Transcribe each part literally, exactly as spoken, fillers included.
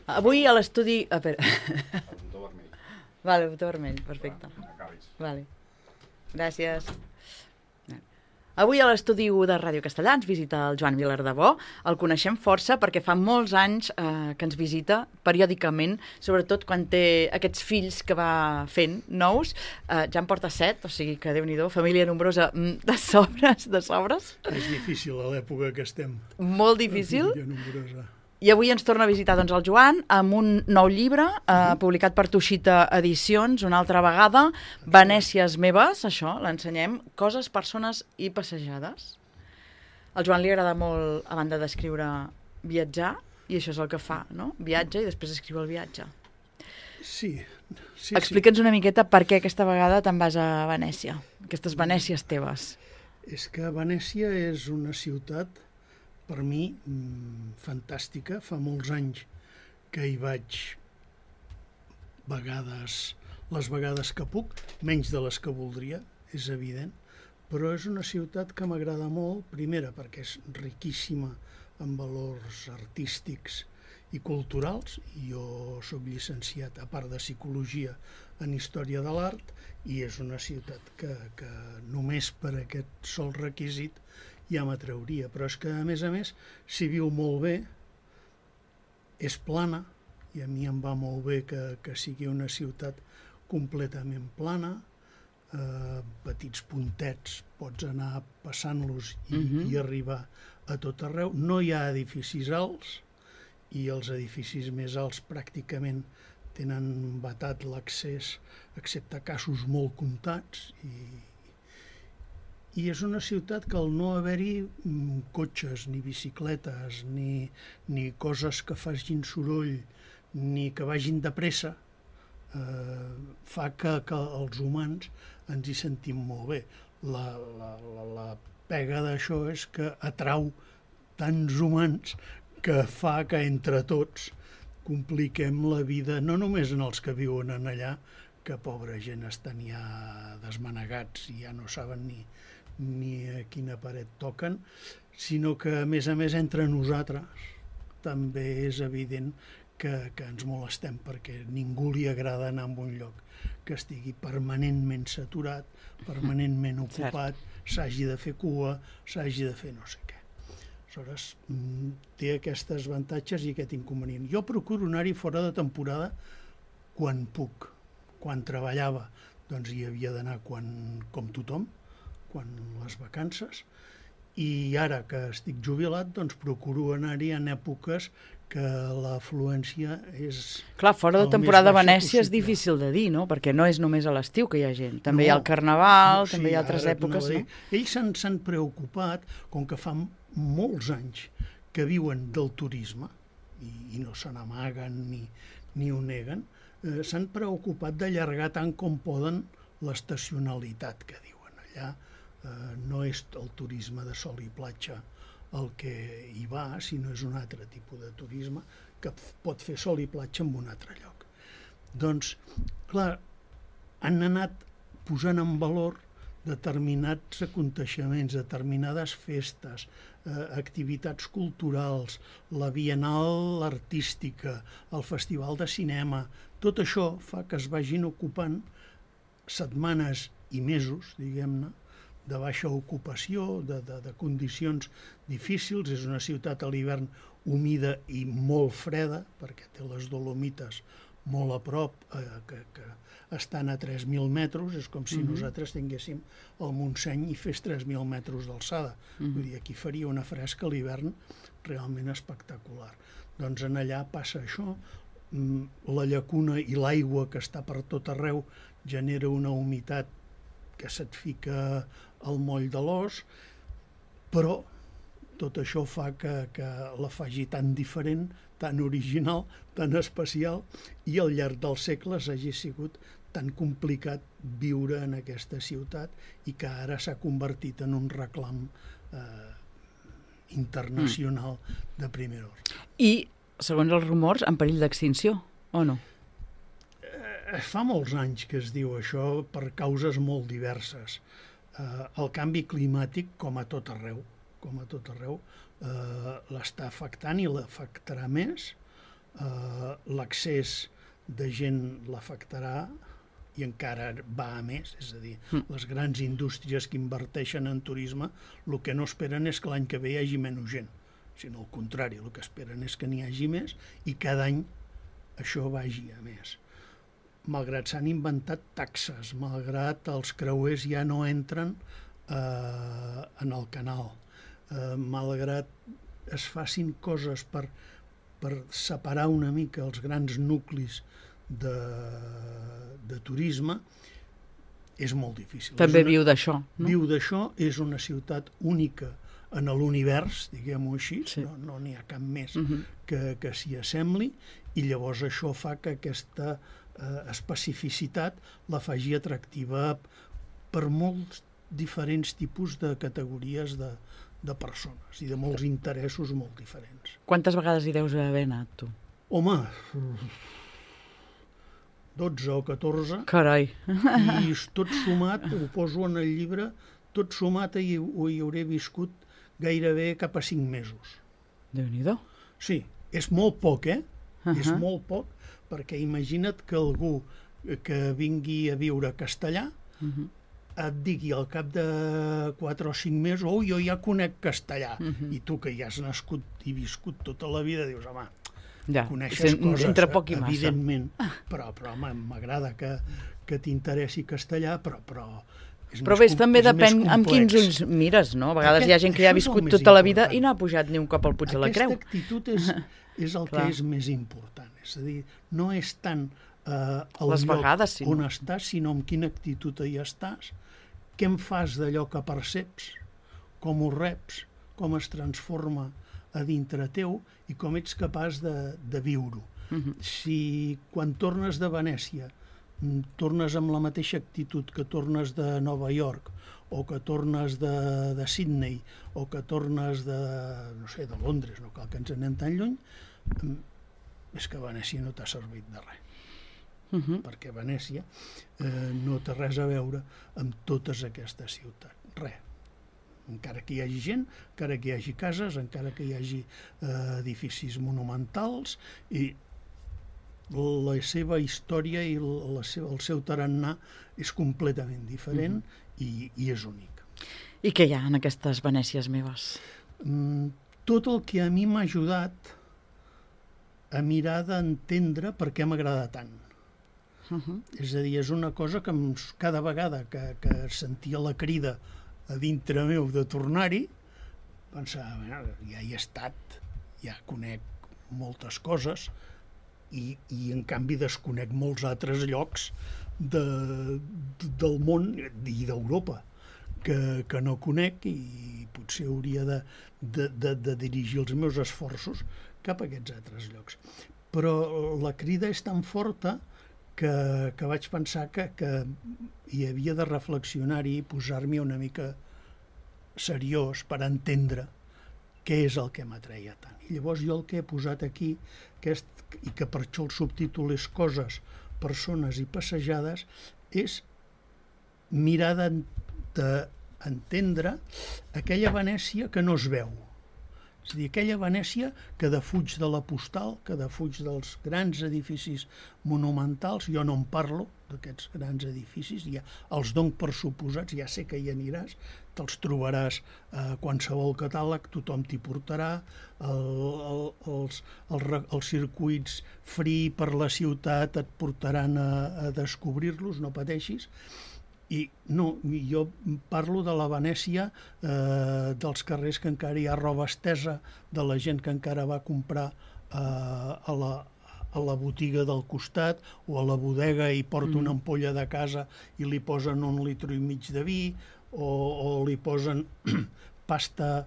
Avui a l'estudi... A veure... El botó vermell. Vale, botó vermell, perfecte. Va, acabis. Vale. Gràcies. Avui a l'estudi u de Ràdio Castellà ens visita el Joan Vilardebó. El coneixem força perquè fa molts anys eh, que ens visita periòdicament, sobretot quan té aquests fills que va fent nous. Eh, ja en porta set, o sigui que Déu-n'hi-do, família nombrosa de sobres, de sobres. És difícil a l'època que estem. Molt difícil. Família nombrosa. I avui ens torna a visitar doncs, el Joan amb un nou llibre eh, uh-huh. publicat per Tuixita Edicions, una altra vegada, Venècies meves, això, l'ensenyem, coses, persones i passejades. Al Joan li agrada molt, a banda d'escriure, viatjar, i això és el que fa, no? Viatja i després escriu el viatge. Sí. sí Explica'ns sí. una miqueta per què aquesta vegada te'n vas a Venècia, aquestes Venècies teves. És que Venècia és una ciutat per mi, fantàstica. Fa molts anys que hi vaig vegades, les vegades que puc, menys de les que voldria, és evident, però és una ciutat que m'agrada molt, primera perquè és riquíssima en valors artístics i culturals. Jo soc llicenciat, a part de psicologia, en història de l'art, i és una ciutat que, que només per aquest sol requisit ja m'atrauria, però és que a més a més s'hi viu molt bé, és plana, i a mi em va molt bé que, que sigui una ciutat completament plana, eh, petits puntets, pots anar passant-los i, uh-huh. i arribar a tot arreu. No hi ha edificis alts, i els edificis més alts pràcticament tenen vetat l'accés, excepte casos molt comptats, i I és una ciutat que al no haver-hi cotxes, ni bicicletes, ni, ni coses que facin soroll, ni que vagin de pressa, eh, fa que, que els humans ens hi sentim molt bé. La, la, la, la pega d'això és que atrau tants humans que fa que entre tots compliquem la vida, no només en els que viuen en allà, que pobra gent estan ja desmanegats i ja no saben ni ni a quina paret toquen, sinó que, a més a més, entre nosaltres també és evident que, que ens molestem, perquè ningú li agrada anar a un lloc que estigui permanentment saturat, permanentment ocupat, s'hagi de fer cua, s'hagi de fer no sé què. Aleshores, té aquests avantatges i aquest inconvenient. Jo procuro anar-hi fora de temporada quan puc. Quan treballava, doncs hi havia d'anar quan, com tothom, quan les vacances, i ara que estic jubilat, doncs procuro anar-hi en èpoques que l'afluència és... Clar, fora de temporada a Venècia és difícil de dir, no? Perquè no és només a l'estiu que hi ha gent. També no, hi ha el Carnaval, no, també sí, hi ha altres èpoques, no? Ells s'han preocupat, com que fa molts anys que viuen del turisme, i, i no se n'amaguen ni, ni ho neguen, eh, s'han preocupat d'allargar tant com poden l'estacionalitat que diuen allà. Uh, no és el turisme de sol i platja el que hi va, sinó és un altre tipus de turisme que pot fer sol i platja en un altre lloc. Doncs, clar, han anat posant en valor determinats aconteixements, determinades festes, eh, activitats culturals, la Bienal artística, el Festival de Cinema. Tot això fa que es vagin ocupant setmanes i mesos, diguem-ne, de baixa ocupació, de, de, de condicions difícils. És una ciutat a l'hivern humida i molt freda, perquè té les Dolomites molt a prop, eh, que, que estan a tres mil metres, és com si uh-huh. nosaltres tinguéssim el Montseny i fes tres mil metres d'alçada. Uh-huh. Vull dir, aquí faria una fresca a l'hivern realment espectacular. Doncs en allà passa això, la llacuna i l'aigua que està per tot arreu genera una humitat que se't fica al moll de l'os, però tot això fa que, que la faci tan diferent, tan original, tan especial, i al llarg dels segles hagi sigut tan complicat viure en aquesta ciutat i que ara s'ha convertit en un reclam eh, internacional mm. de primer ordre. I, segons els rumors, en perill d'extinció, o no? Eh, fa molts anys que es diu això per causes molt diverses. Eh, el canvi climàtic, com a tot arreu, com a tot arreu, eh, l'està afectant i l'afectarà més. eh, l'accés de gent l'afectarà i encara va a més, és a dir, mm. les grans indústries que inverteixen en turisme el que no esperen és que l'any que ve hi hagi menys gent, sinó al contrari, el que esperen és que n'hi hagi més i cada any això vagi a més. Malgrat s'han inventat taxes, malgrat els creuers ja no entren eh, en el canal, eh, malgrat es facin coses per, per separar una mica els grans nuclis de, de turisme, és molt difícil. També una, viu d'això, no? Viu d'això, és una ciutat única en l'univers, diguem-ho així, sí. no, no n'hi ha cap més uh-huh. que, que s'hi assembli, i llavors això fa que aquesta eh, especificitat la faci atractiva per molts diferents tipus de categories de, de persones i de molts interessos molt diferents. Quantes vegades hi deus haver anat, tu? Home, dotze o catorze. Carai! I tot sumat, ho poso en el llibre, tot sumat hi, hi hauré viscut gairebé cap a cinc mesos. Déu-n'hi-do. Sí, és molt poc, eh? Uh-huh. És molt poc, perquè imagina't que algú que vingui a viure a Castellà uh-huh. et digui al cap de quatre o cinc mesos, oh, jo ja conec Castellà, uh-huh. i tu que ja has nascut i viscut tota la vida, dius, home, ja, coneixes coses, entre poc i massa. Evidentment, però, però home, m'agrada que, que t'interessi Castellà, però... però és però més, bé, també és depèn amb quins ulls mires, no? A vegades Aquest, hi ha gent que ja ha viscut tota la vida i no ha pujat ni un cop al Puig de la Creu. Aquesta actitud és, és el que és més important. És a dir, no és tant eh, el Les lloc vegades, sí, on no? estàs, sinó amb quina actitud hi estàs, què en fas d'allò que perceps, com ho reps, com es transforma a dintre teu i com ets capaç de, de viure-ho. Uh-huh. Si quan tornes de Venècia tornes amb la mateixa actitud que tornes de Nova York o que tornes de, de Sydney o que tornes de, no sé, de Londres, no cal que ens anem tan lluny, és que Venècia no t'ha servit de res. Uh-huh. Perquè Venècia eh, no té res a veure amb totes aquestes ciutats. Res. Encara que hi hagi gent, encara que hi hagi cases, encara que hi hagi eh, edificis monumentals, i la seva història i la seva, el seu tarannà és completament diferent mm-hmm. i, i és únic. I què hi ha en aquestes Venècies meves? Mm, tot el que a mi m'ha ajudat a mirar d'entendre per què m'agrada tant. Uh-huh. És a dir, és una cosa que cada vegada que, que sentia la crida a dintre meu de tornar-hi, pensava, bueno, ja hi he estat, ja conec moltes coses, I, i en canvi desconec molts altres llocs de, de, del món i d'Europa que, que no conec i potser hauria de, de, de, de dirigir els meus esforços cap a aquests altres llocs. Però la crida és tan forta que, que vaig pensar que, que hi havia de reflexionar-hi i posar-m'hi una mica seriós per entendre què és el que m'atreia tant. I llavors jo el que he posat aquí, aquest, i que per això el subtítol és Coses, Persones i Passejades, és mirar d'entendre aquella Venècia que no es veu. És a dir, aquella Venècia que defuig de la postal, que defuig dels grans edificis monumentals, jo no en parlo d'aquests grans edificis, ja els dono per suposats, ja sé que hi aniràs, te'ls trobaràs a eh, qualsevol catàleg, tothom t'hi portarà, el, el, els, el, els circuits free per la ciutat et portaran a, a descobrir-los, no pateixis. I no, jo parlo de la Venècia eh, dels carrers que encara hi ha roba estesa, de la gent que encara va comprar eh, a, la, a la botiga del costat o a la bodega i porta mm. una ampolla de casa i li posen un litre i mig de vi, o, o li posen pasta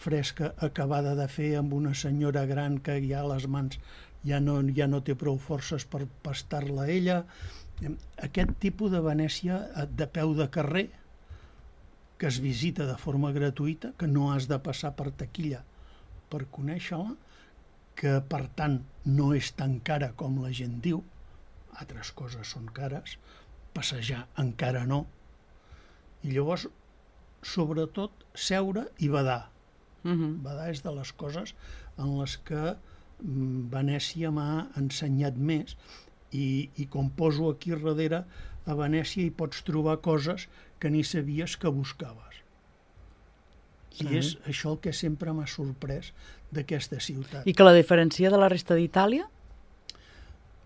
fresca acabada de fer amb una senyora gran que ja a les mans ja no, ja no té prou forces per pastar-la ella. Aquest tipus de Venècia de peu de carrer que es visita de forma gratuïta, que no has de passar per taquilla per conèixer-la, que per tant no és tan cara com la gent diu, altres coses són cares, passejar encara no, i llavors sobretot seure i badar. Uh-huh. Badar és de les coses en les que Venècia m'ha ensenyat més i, i com poso aquí darrere a Venècia hi pots trobar coses que ni sabies que buscaves. I Sí. és això el que sempre m'ha sorprès d'aquesta ciutat. I que la diferencia de la resta d'Itàlia?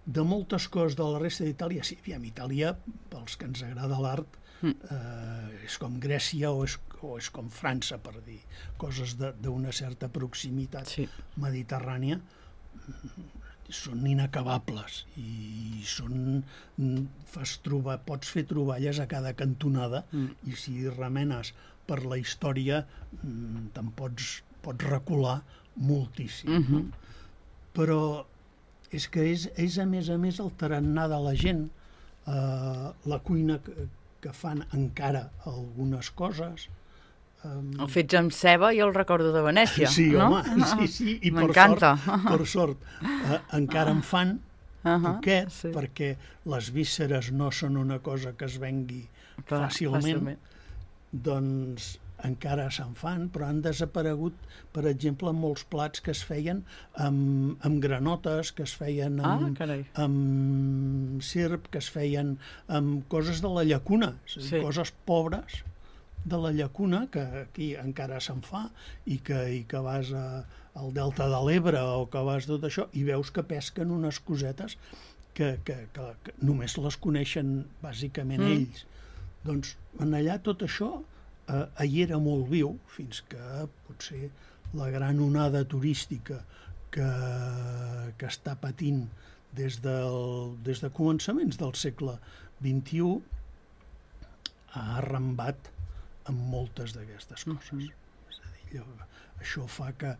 De moltes coses de la resta d'Itàlia, sí, aviam, Itàlia, pels que ens agrada l'art, Mm. eh, és com Grècia o és, o és com França, per dir coses de- d'una certa proximitat Sí. mediterrània, són inacabables i són, fas trobar, pots fer troballes a cada cantonada Mm. i si remenes per la història te'n pots, pots recular moltíssim. Mhm. No? Però és que és, és a més a més el tarannà de la gent, eh, la cuina que, que fan encara algunes coses. Um, El fets amb ceba i el recordo de Venècia, sí, no? home, sí, sí, i per sort, M'encanta. per sort eh, encara en fan Uh-huh, poquet, sí. perquè les vísceres no són una cosa que es vengui Clar, fàcilment, doncs encara se'n fan, però han desaparegut, per exemple, molts plats que es feien amb, amb granotes, que es feien Ah, amb, carai. amb serp, que es feien amb coses de la llacuna, és a dir, Sí. coses pobres de la llacuna, que aquí encara se'n fa, i que, i que vas a, al Delta de l'Ebre o que vas tot això, i veus que pesquen unes cosetes que, que, que, que només les coneixen bàsicament Mm. ells. Doncs en allà tot això eh, hi era molt viu, fins que potser la gran onada turística que, que està patint des, del, des de començaments del segle vint-i-u ha arrambat amb moltes d'aquestes coses. Mhm. És a dir, allò, això fa que,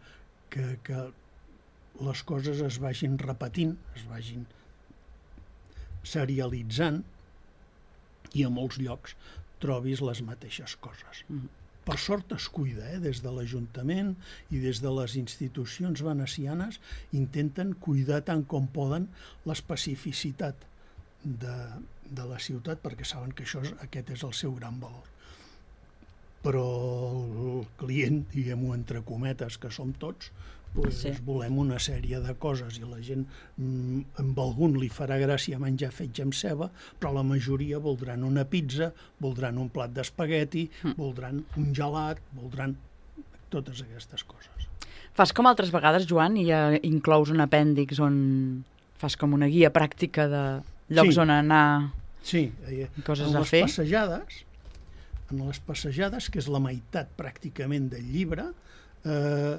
que, que les coses es vagin repetint, es vagin serialitzant i a molts llocs trobis les mateixes coses. Mhm. Per sort es cuida, eh? Des de l'Ajuntament i des de les institucions venecianes intenten cuidar tant com poden l'especificitat de, de la ciutat, perquè saben que això és, aquest és el seu gran valor. Però el client, diguem-ho entre cometes, que som tots, doncs Sí. volem una sèrie de coses i la gent, mm, amb algun li farà gràcia menjar fetge amb ceba, però la majoria voldran una pizza, voldran un plat d'espagueti, Mm. voldran un gelat, voldran totes aquestes coses. Fas com altres vegades, Joan, i uh, inclous un apèndix on fas com una guia pràctica de llocs Sí. on anar Sí, eh, i coses en a les fer. passejades, en les passejades, que és la meitat pràcticament del llibre, eh,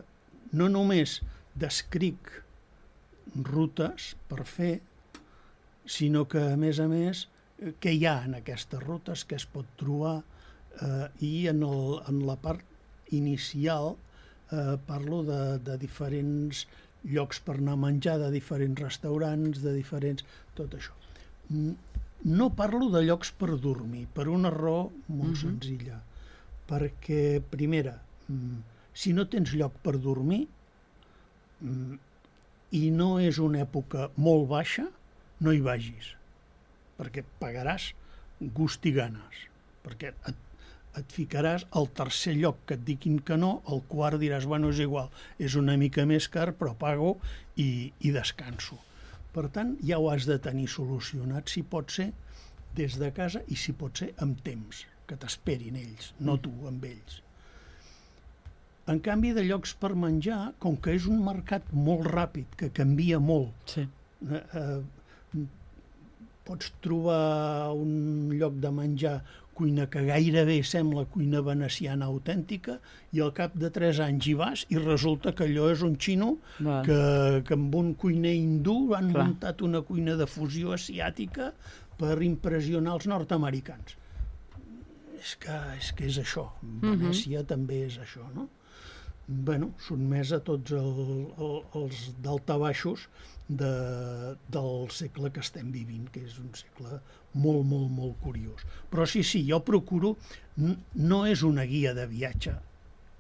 no només descric rutes per fer, sinó que, a més a més, eh, què hi ha en aquestes rutes, què es pot trobar, eh, i en, el, en la part inicial eh, parlo de, de diferents llocs per anar a menjar, de diferents restaurants, de diferents... tot això. N- No parlo de llocs per dormir, per una raó molt Mhm. senzilla. Perquè, primera, mm, si no tens lloc per dormir mm, i no és una època molt baixa, no hi vagis, perquè pagaràs gust i ganes, perquè et, et ficaràs al tercer lloc que et diguin que no, al quart diràs, bueno, és igual, és una mica més car, però pago i, i descanso. Per tant, ja ho has de tenir solucionat, si pot ser, des de casa i si pot ser amb temps, que t'esperin ells, no tu, amb ells. En canvi, de llocs per menjar, com que és un mercat molt ràpid, que canvia molt, Sí. eh, eh, pots trobar un lloc de menjar, cuina que gairebé sembla cuina veneciana autèntica, i al cap de tres anys hi vas i resulta que allò és un xino Val. que, que amb un cuiner hindú han Clar. muntat una cuina de fusió asiàtica per impressionar els nord-americans. És que és, que és això. Venècia també és això, no? Bueno, sotmès a tots el, el, els daltabaixos de, del segle que estem vivint, que és un segle molt, molt, molt curiós. Però sí, sí, jo procuro... n- No és una guia de viatge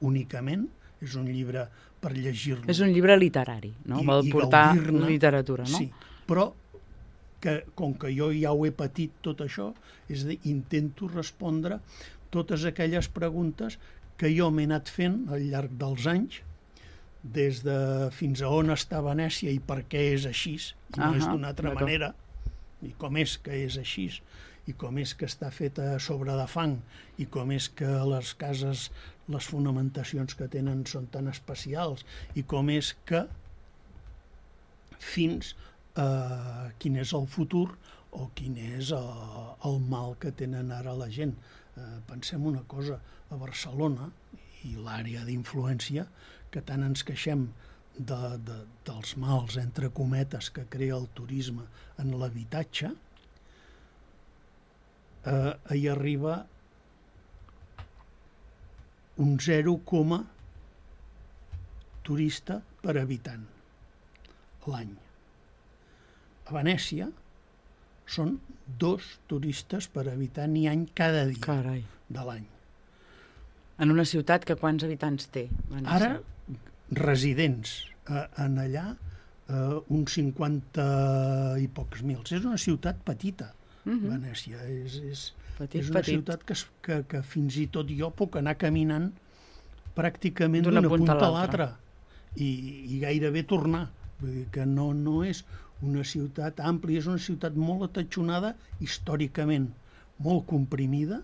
únicament, és un llibre per llegir-lo. És un llibre literari, no? I- Vol i portar gaudir-ne. literatura, no? Sí, però que, com que jo ja ho he patit tot això, és a dir, intento respondre totes aquelles preguntes que jo m'he anat fent al llarg dels anys des de fins a on està Venècia i per què és així, i no uh-huh. és d'una altra manera, i com és que és així, i com és que està feta a sobre de fang, i com és que les cases, les fonamentacions que tenen són tan especials, i com és que fins a quin és el futur o quin és el, el mal que tenen ara la gent. Eh, pensem una cosa, a Barcelona i l'àrea d'influència, que tant ens queixem de, de, dels mals, entre cometes, que crea el turisme en l'habitatge, eh, hi arriba un zero coma turista per habitant l'any. A Venècia són dos turistes per habitant i any cada dia. Carai. De l'any. En una ciutat que quants habitants té? Venècia? Ara, residents eh, en allà, eh, uns cinquanta i pocs mils. És una ciutat petita, uh-huh. Venècia. És, és, petit, és una petit. ciutat que, que, que fins i tot jo puc anar caminant pràcticament d'una d'una punta, punta a l'altra i, i gairebé tornar. Vull dir que no, no és una ciutat àmplia, és una ciutat molt atatxonada històricament, molt comprimida,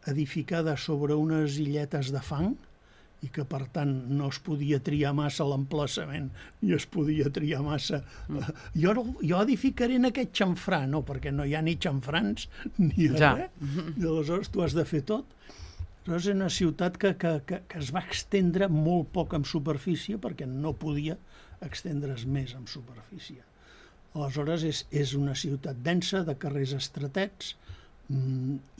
edificada sobre unes illetes de fang i que per tant no es podia triar massa l'emplaçament ni es podia triar massa mm. jo, jo edificaré en aquest xamfrà, no, perquè no hi ha ni xamfrans ni ja. res, i aleshores tu has de fer tot. Aleshores és una ciutat que, que, que, que es va extendre molt poc en superfície perquè no podia extendre's més en superfície. Aleshores és, és una ciutat densa, de carrers estretets,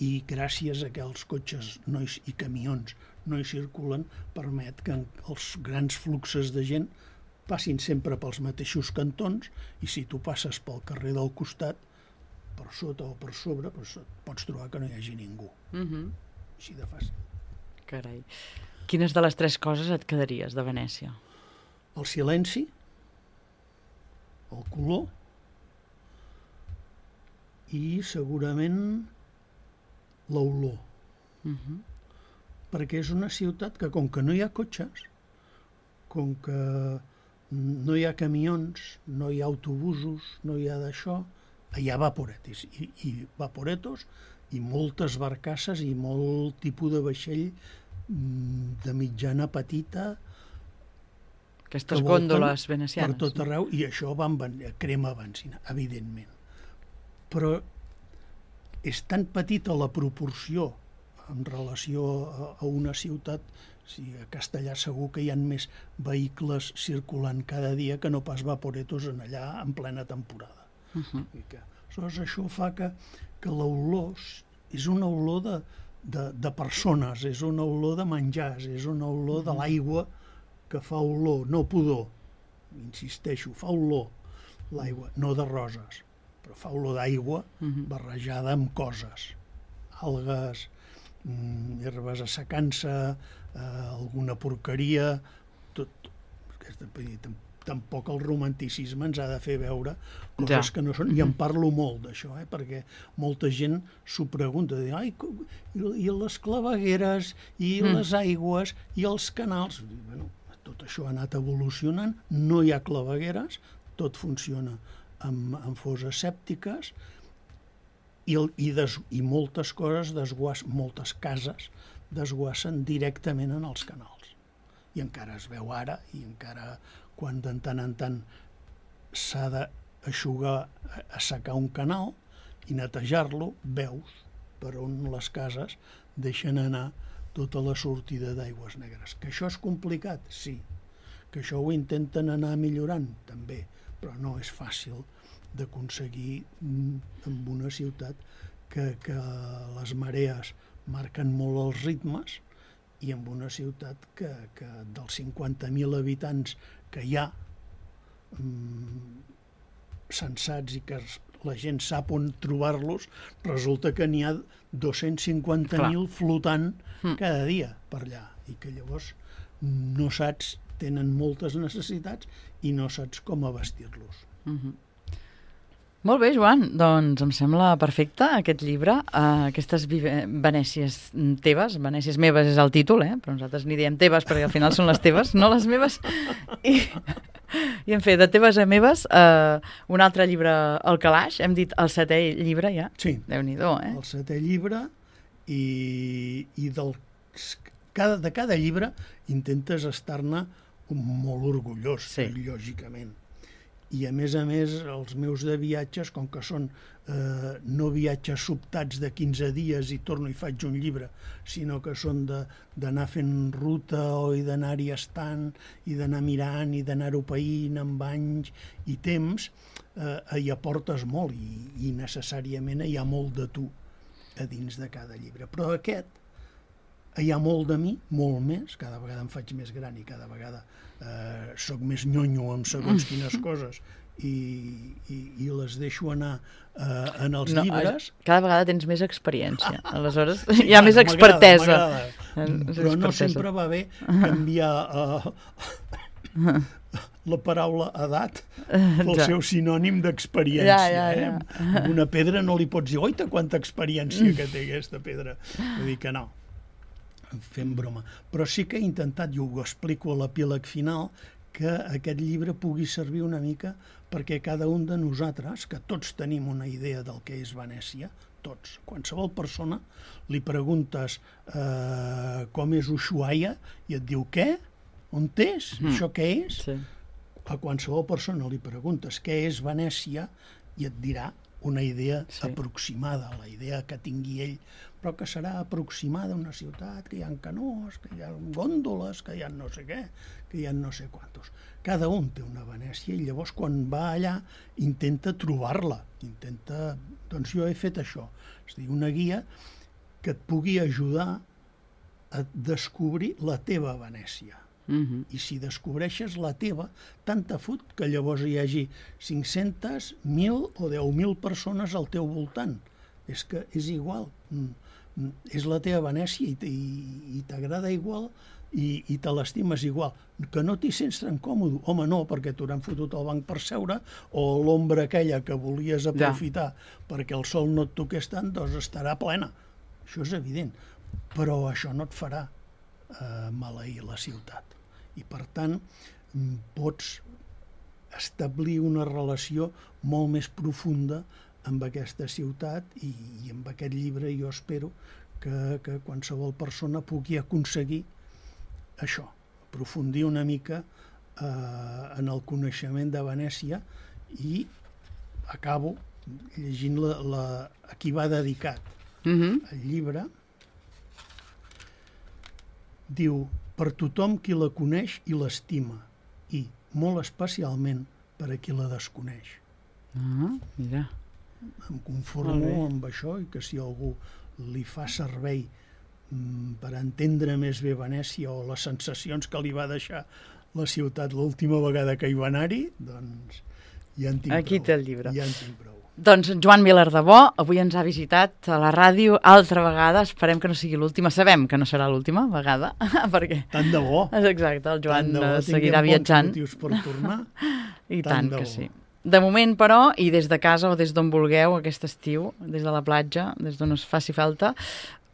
i gràcies a que els cotxes no hi, i camions no hi circulen, permet que els grans fluxes de gent passin sempre pels mateixos cantons, i si tu passes pel carrer del costat, per sota o per sobre, doncs pots trobar que no hi hagi ningú. Uh-huh. Així de fàcil. Carai. Quines de les tres coses et quedaries de Venècia? El silenci, el color i segurament l'olor. Uh-huh. Perquè és una ciutat que, com que no hi ha cotxes, com que no hi ha camions, no hi ha autobusos, no hi ha d'això, hi ha vaporetis, i, i vaporetos, i moltes barcasses i molt tipus de vaixell de mitjana petita, aquestes gòndoles venecianes. Per tot arreu, i això va amb crema benzina, evidentment. Però és tan petita la proporció en relació a, a una ciutat, si a Castellar segur que hi ha més vehicles circulant cada dia que no pas vaporetos en allà en plena temporada. Uh-huh. I que, aleshores, això fa que, que l'olor és una olor de, de, de persones, és una olor de menjars, és una olor de l'aigua que fa olor, no pudor, insisteixo, fa olor l'aigua, no de roses, però fa olor d'aigua uh-huh. barrejada amb coses, algues, mm, herbes assecant-se, eh, alguna porqueria, tot. Aquesta, tampoc el romanticisme ens ha de fer veure coses ja. que no són, i en parlo molt d'això, eh, perquè molta gent s'ho pregunta, de, ai, i les clavegueres, i mm. les aigües, i els canals. Bueno, tot això ha anat evolucionant, no hi ha clavegueres, tot funciona amb, amb fosses sèptiques, i, el, i, des, i moltes coses desguassen, moltes cases desguassen directament en els canals. I encara es veu ara, i encara quan de tant en tant s'ha d'aixugar, assecar un canal i netejar-lo, veus per on les cases deixen anar tota la sortida d'aigües negres. Que això és complicat? Sí. Que això ho intenten anar millorant? També. Però no és fàcil d'aconseguir en una ciutat que, que les marees marquen molt els ritmes, i en una ciutat que, que dels cinquanta mil habitants que hi ha mmm, sensats i que la gent sap on trobar-los, resulta que n'hi ha dos-cents cinquanta mil flotant mm. cada dia per allà, i que llavors no saps, tenen moltes necessitats i no saps com abastir-los. Mm-hmm. Molt bé, Joan, doncs em sembla perfecte aquest llibre, uh, aquestes Venècies teves, Venècies meves és el títol, eh? Però nosaltres n'hi diem teves perquè al final són les teves, no les meves. I, i en fi, de teves a meves, uh, un altre llibre al calaix, hem dit el setè llibre ja. Sí, Déu-n'hi-do, eh? el setè llibre i, i del, cada, de cada llibre intentes estar-ne molt orgullós, sí. Lògicament. I, a més a més, els meus de viatges, com que són eh, no viatges sobtats de quinze dies i torno i faig un llibre, sinó que són d'anar fent ruta o i d'anar-hi estant i d'anar mirant i d'anar-ho païnt amb anys i temps, eh, hi aportes molt i, i necessàriament hi ha molt de tu a dins de cada llibre. Però aquest, hi ha molt de mi, molt més, cada vegada em faig més gran i cada vegada eh, soc més nyonyo amb segons quines coses i, i, i les deixo anar eh, en els no, llibres. Cada vegada tens més experiència, aleshores sí, hi ha més expertesa. Però no sempre va bé canviar eh, la paraula edat pel ja. seu sinònim d'experiència. Ja, ja, ja. Eh? Una pedra no li pots dir, oita, quanta experiència que té aquesta pedra. Vull dir que no. Fem broma. Però sí que he intentat, jo ho explico a l'epíleg final, que aquest llibre pugui servir una mica perquè cada un de nosaltres, que tots tenim una idea del que és Venècia, tots, qualsevol persona, li preguntes eh, com és Ushuaia i et diu què? On és? Mm. Això què és? Sí. A qualsevol persona li preguntes què és Venècia i et dirà una idea sí. aproximada, la idea que tingui ell, però que serà aproximada a una ciutat, que hi ha canós, que hi ha gòndoles, que hi ha no sé què, que hi ha no sé quantos. Cada un té una Venècia i llavors quan va allà intenta trobar-la, intenta... Doncs jo he fet això, és a dir, una guia que et pugui ajudar a descobrir la teva Venècia. Uh-huh. I si descobreixes la teva, tant te fot que llavors hi hagi cinc-centes, mil o deu mil persones al teu voltant. És que és igual. És la teva Venècia i, i, i t'agrada igual i, i te l'estimes igual. Que no t'hi sents tan còmode. Home, no, perquè t'hauran fotut al banc per seure o l'ombra aquella que volies aprofitar ja. perquè el sol no et toqués tant, doncs estarà plena. Això és evident. Però això no et farà eh, maleir la ciutat. I, per tant, pots establir una relació molt més profunda amb aquesta ciutat i, i amb aquest llibre jo espero que, que qualsevol persona pugui aconseguir això, aprofundir una mica eh, en el coneixement de Venècia i acabo llegint la, la, a qui va dedicat mm-hmm. el llibre. Diu, per tothom qui la coneix i l'estima, i, molt especialment, per a qui la desconeix. Ah, mira. Em conformo amb això i que si algú li fa servei mm, per entendre més bé Venècia o les sensacions que li va deixar la ciutat l'última vegada que hi va anar-hi, doncs ja en tinc Aquí prou. té el llibre. Ja en tinc prou. Doncs Joan Vilardebó avui ens ha visitat a la ràdio altra vegada, esperem que no sigui l'última, sabem que no serà l'última vegada, perquè... Tant de bo. Exacte, el Joan bo, seguirà viatjant. Tinguem bons motius per tornar. I tant, tant que sí. De moment, però, i des de casa o des d'on vulgueu aquest estiu, des de la platja, des d'on us faci falta,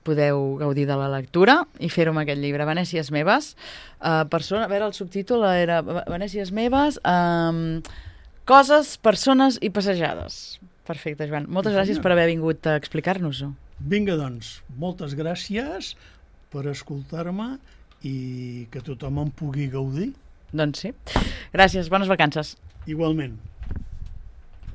podeu gaudir de la lectura i fer-ho amb aquest llibre, Venècies meves. Uh, persona, a veure, el subtítol era Venècies meves, um, coses, persones i passejades. Perfecte, Joan. Moltes sí, gràcies per haver vingut a explicar-nos-ho. Vinga, doncs, moltes gràcies per escoltar-me i que tothom en pugui gaudir. Doncs sí. Gràcies, bones vacances. Igualment.